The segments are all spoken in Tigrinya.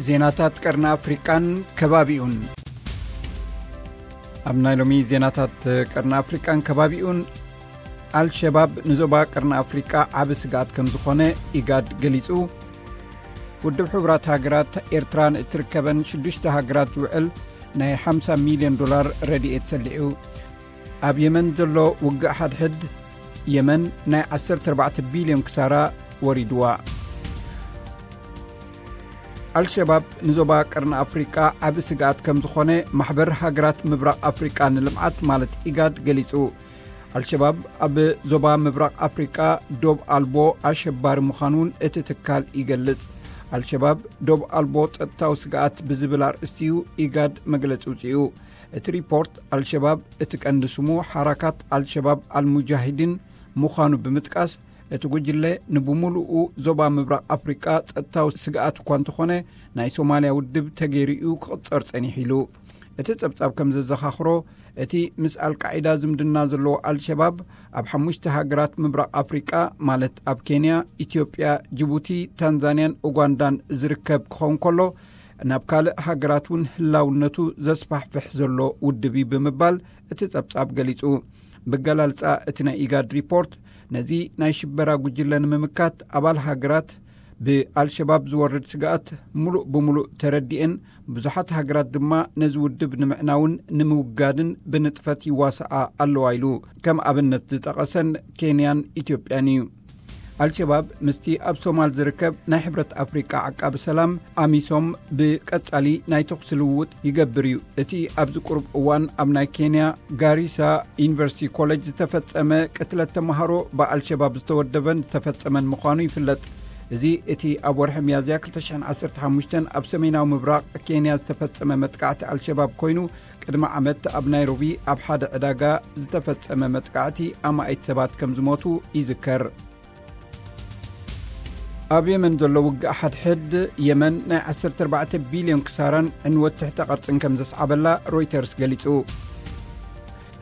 ዜናታት ቀርኒ ኣፍሪቃን ከባቢኡን። ኣብ ናይ ሎሚ ዜናታት ቀርኒ ኣፍሪቃን ከባቢኡን፣ ኣልሸባብ ንዞባ ቀርኒ ኣፍሪቃ ዓቢ ስግኣት ከም ዝኾነ ኢጋድ ገሊጹ። ውድብ ሕቡራት ሃገራት፣ ኤርትራ ንእትርከበን ሽዱሽተ ሃገራት ዝውዕል ናይ ሓምሳ ሚልዮን ዶላር ረድኤት ሰሊዑ። ኣብ የመን ዘሎ ውግእ ሓድሕድ የመን ናይ ዓሰርተ ኣርባዕተ ቢልዮን ክሳራ ወሪድዋ። ኣልሸባብ ንዞባ ቀርኒ ኣፍሪቃ ዓቢ ስግኣት ከም ዝኾነ ማሕበር ሃገራት ምብራቕ ኣፍሪቃ ንልምዓት ማለት ኢጋድ ገሊጹ። ኣልሸባብ ኣብ ዞባ ምብራቕ ኣፍሪቃ ዶብ ኣልቦ ኣሸባሪ ምዃኑን እቲ ትካል ይገልጽ። ኣልሸባብ ዶብ ኣልቦ ጸጥታዊ ስግኣት ብዝብል ኣርእስቲ እዩ ኢጋድ መግለጺ ውጽኡ። እቲ ሪፖርት ኣልሸባብ እቲ ቀንዲ ስሙ ሓራካት ኣልሸባብ ኣልሙጃሂዲን ምዃኑ ብምጥቃስ፣ እቲ ጉጅለ ንብምሉኡ ዞባ ምብራቕ ኣፍሪቃ ጸጥታዊ ስግኣት እኳ እንተኾነ፣ ናይ ሶማልያ ውድብ ተገይሩ እዩ ክቕጸር ጸኒሑ ኢሉ። እቲ ጸብጻብ ከም ዘዘኻኽሮ፣ እቲ ምስ ኣልቃዒዳ ዝምድና ዘለዎ ኣልሸባብ ኣብ ሓሙሽተ ሃገራት ምብራቕ ኣፍሪቃ፣ ማለት ኣብ ኬንያ፣ ኢትዮጵያ፣ ጅቡቲ፣ ታንዛንያን ኡጋንዳን ዝርከብ ክኸውን ከሎ፣ ናብ ካልእ ሃገራት እውን ህላውነቱ ዘስፋሕፍሕ ዘሎ ውድብ እዩ ብምባል እቲ ጸብጻብ ገሊጹ። ብገላልጻ እቲ ናይ ኢጋድ ሪፖርት፣ ነዚ ናይ ሽበራ ጉጅለ ንምምካት ኣባል ሃገራት ብኣልሸባብ ዝወርድ ስግኣት ምሉእ ብምሉእ ተረዲኤን፣ ብዙሓት ሃገራት ድማ ነዚ ውድብ ንምዕናውን ንምውጋድን ብንጥፈት ይዋስኣ ኣለዋ ኢሉ ከም ኣብነት ዝጠቐሰን ኬንያን ኢትዮጵያን እዩ። ኣልሸባብ ምስቲ ኣብ ሶማል ዝርከብ ናይ ሕብረት ኣፍሪቃ ዓቃቢ ሰላም ኣሚሶም ብቀጻሊ ናይ ተኹሲ ልውውጥ ይገብር እዩ። እቲ ኣብዚ ቁሩብ እዋን ኣብ ናይ ኬንያ ጋሪሳ ዩኒቨርሲቲ ኮሌጅ ዝተፈጸመ ቅትለት ተመሃሮ ብኣልሸባብ ዝተወደበን ዝተፈጸመን ምዃኑ ይፍለጥ። እዚ እቲ ኣብ ወርሒ ሚያዝያ ክልተ ሽሕን ዓሰርተ ሓሙሽተን ኣብ ሰሜናዊ ምብራቕ ኬንያ ዝተፈጸመ መጥቃዕቲ ኣልሸባብ ኮይኑ፣ ቅድሚ ዓመት ኣብ ናይሮቢ ኣብ ሓደ ዕዳጋ ዝተፈጸመ መጥቃዕቲ ኣማኢት ሰባት ከም ዝሞቱ ይዝከር። ኣብ የመን ዘሎ ውግእ ሓድሕድ የመን ናይ ዓሰርተ ኣርባዕተ ቢልዮን ክሳራን ዕንወት ትሕተ ቅርጽን ከም ዘስዓበላ ሮይተርስ ገሊጹ።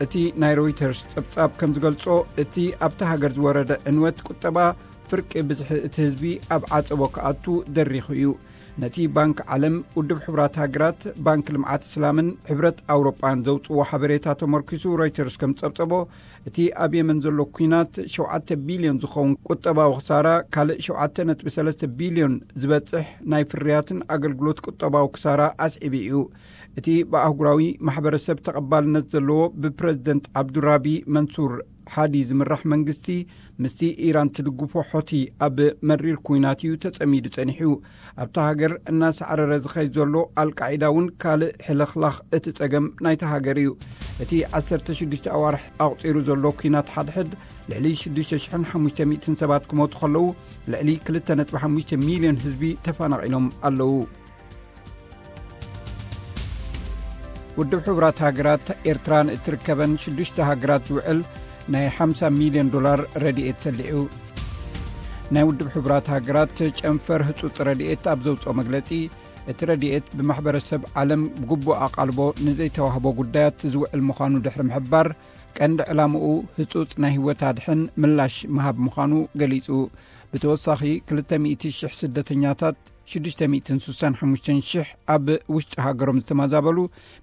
እቲ ናይ ሮይተርስ ጸብጻብ ከም ዝገልጾ፣ እቲ ኣብታ ሃገር ዝወረደ ዕንወት ቁጠባ ፍርቂ ብዝሒ እቲ ህዝቢ ኣብ ዓጸቦ ክኣቱ ደሪኹ እዩ። ነቲ ባንክ ዓለም፣ ውድብ ሕቡራት ሃገራት፣ ባንክ ልምዓት እስላምን ሕብረት ኣውሮጳን ዘውጽዎ ሓበሬታ ተመርኪሱ ሮይተርስ ከም ጸብጸቦ፣ እቲ ኣብ የመን ዘሎ ኲናት ሸውዓተ ቢልዮን ዝኸውን ቁጠባዊ ክሳራ፣ ካልእ ሸውዓተ ነጥቢ ሰለስተ ቢልዮን ዝበጽሕ ናይ ፍርያትን ኣገልግሎት ቁጠባዊ ክሳራ ኣስዒቡ እዩ። እቲ ብኣህጉራዊ ማሕበረሰብ ተቐባልነት ዘለዎ ብፕረዚደንት ዓብዱራቢ መንሱር ሓዲ ዝምራሕ መንግስቲ ምስቲ ኢራን ትድግፎ ሖቲ ኣብ መሪር ኲናት እዩ ተጸሚዱ ጸኒሑ። ኣብታ ሃገር እናሳዕረረ ዝኸይድ ዘሎ ኣልቃዒዳ እውን ካልእ ሕልኽላኽ እቲ ጸገም ናይታ ሃገር እዩ። እቲ ዓሰርተ ሽዱሽተ ኣዋርሕ ኣቑጺሩ ዘሎ ኲናት ሓድሕድ ልዕሊ ሽዱሽተ ሽሕን ሓሙሽተ ሚእትን ሰባት ክሞቱ ከለዉ፣ ልዕሊ ክልተ ነጥቢ ሓሙሽተ ሚልዮን ህዝቢ ተፈናቒሎም ኣለዉ። ውድብ ሕቡራት ሃገራት፣ ኤርትራ ንእትርከበን ሽዱሽተ ሃገራት ዝውዕል ናይ ሓምሳ ሚልዮን ዶላር ረድኤት ሰሊዑ። ናይ ውድብ ሕቡራት ሃገራት ጨንፈር ህጹጽ ረድኤት ኣብ ዘውጽኦ መግለጺ፣ እቲ ረድኤት ብማሕበረሰብ ዓለም ብግቡእ ኣቓልቦ ንዘይተዋህቦ ጉዳያት ዝውዕል ምዃኑ ድሕሪ ምሕባር፣ ቀንዲ ዕላምኡ ህጹጽ ናይ ህይወት ኣድሕን ምላሽ ምሃብ ምዃኑ ገሊጹ። ብተወሳኺ፣ ክልተ ሚእቲ ሽሕ ስደተኛታት፣ ሽዱሽተ ሚእትን ስሳን ሓሙሽተን ሽሕ ኣብ ውሽጢ ሃገሮም ዝተመዛበሉ፣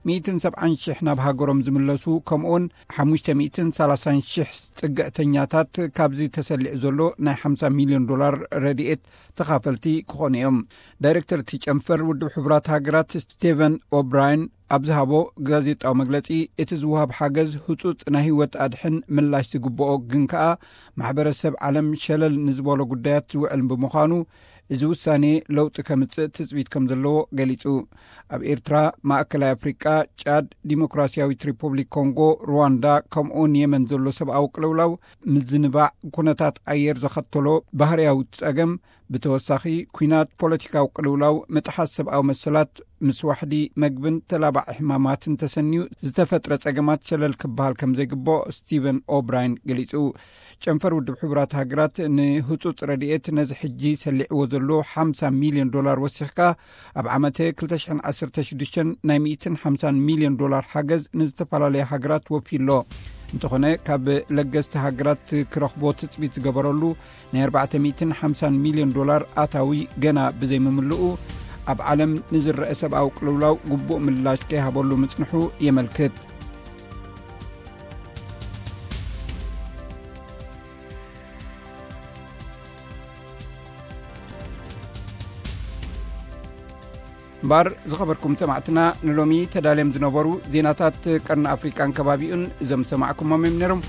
ሚእትን ሰብዓን ሽሕ ናብ ሃገሮም ዝምለሱ፣ ከምኡውን ሓሙሽተ ሚእትን ሰላሳን ሽሕ ጽግዕተኛታት ካብዚ ተሰሊዑ ዘሎ ናይ ሓምሳ ሚልዮን ዶላር ረድኤት ተኻፈልቲ ክኾኑ እዮም። ዳይሬክተር እቲ ጨንፈር ውድብ ሕቡራት ሃገራት ስቴቨን ኦብራየን ኣብ ዝሃቦ ጋዜጣዊ መግለጺ፣ እቲ ዝወሃብ ሓገዝ ህጹጽ ናይ ህይወት ኣድሕን ምላሽ ዝግብኦ፣ ግን ከኣ ማሕበረሰብ ዓለም ሸለል ንዝበሎ ጉዳያት ዝውዕል ብምዃኑ፣ እዚ ውሳኔ ለውጢ ከምጽእ ትጽቢት ከም ዘለዎ ገሊጹ። ኣብ ኤርትራ፣ ማእከላይ ኣፍሪቃ፣ ጫድ፣ ዲሞክራሲያዊት ሪፑብሊክ ኮንጎ፣ ሩዋንዳ፣ ከምኡውን የመን ዘሎ ሰብኣዊ ቅልውላው፣ ምዝንባዕ ኩነታት ኣየር ዘኸተሎ ባህርያዊ ጸገም፣ ብተወሳኺ፣ ኲናት፣ ፖለቲካዊ ቅልውላው፣ ምጥሓስ ሰብኣዊ መሰላት፣ ምስ ዋሕዲ መግብን ተላባዒ ሕማማትን ተሰንዩ ዝተፈጥረ ጸገማት ሸለል ክበሃል ከም ዘይግብኦ ስቲቨን ኦብራይን ገሊጹ። ጨንፈር ውድብ ሕቡራት ሃገራት ንህጹጽ ረድኤት ነዚ ሕጂ ሰሊዕዎ ዘሎ ሓምሳ ሚልዮን ዶላር ወሲኽካ ኣብ ዓመተ ክልተ ሽሕን ዓሰርተ ሽዱሽተን ናይ ሚእትን ሓምሳን ሚልዮን ዶላር ሓገዝ ንዝተፈላለየ ሃገራት ወፊሎ። እንተኾነ ካብ ለገስቲ ሃገራት ክረኽቦ ትጽቢት ዝገበረሉ ናይ ኣርባዕተ ሚእትን ሓምሳን ሚልዮን ዶላር ኣታዊ ገና ብዘይምምልኡ ኣብ ዓለም ንዝረአ ሰብኣዊ ቅልውላው ግቡእ ምላሽ ከይሃበሉ ምጽንሑ የመልክት። እምበር ዝኸበርኩም ሰማዕትና፣ ንሎሚ ተዳልዮም ዝነበሩ ዜናታት ቀርኒ ኣፍሪቃን ከባቢኡን እዞም ዝሰማዕኩሞም እዮም ነይሮም።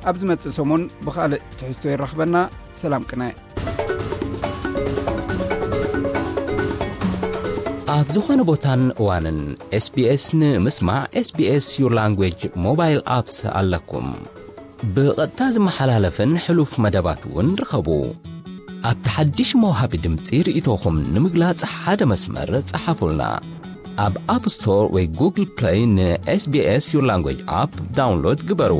ኣብ ዝመጽእ ሰሙን ብኻልእ ትሕዝቶ ይራኽበና። ሰላም ቅነ። ኣብ ዝኾነ ቦታን እዋንን SBS ንምስማዕ SBS Your Language mobile apps ኣለኩም። ብቐጥታ ዝመሓላለፍን ሕሉፍ መደባት እውን ርኸቡ። ኣብቲ ሓድሽ መውሃቢ ድምፂ ርእይቶኹም ንምግላጽ ሓደ መስመር ጸሓፉልና። ኣብ ኣፕ ስቶር ወይ ጉግል ፕለይ ን SBS Your Language ኣፕ ዳውንሎድ ግበሩ።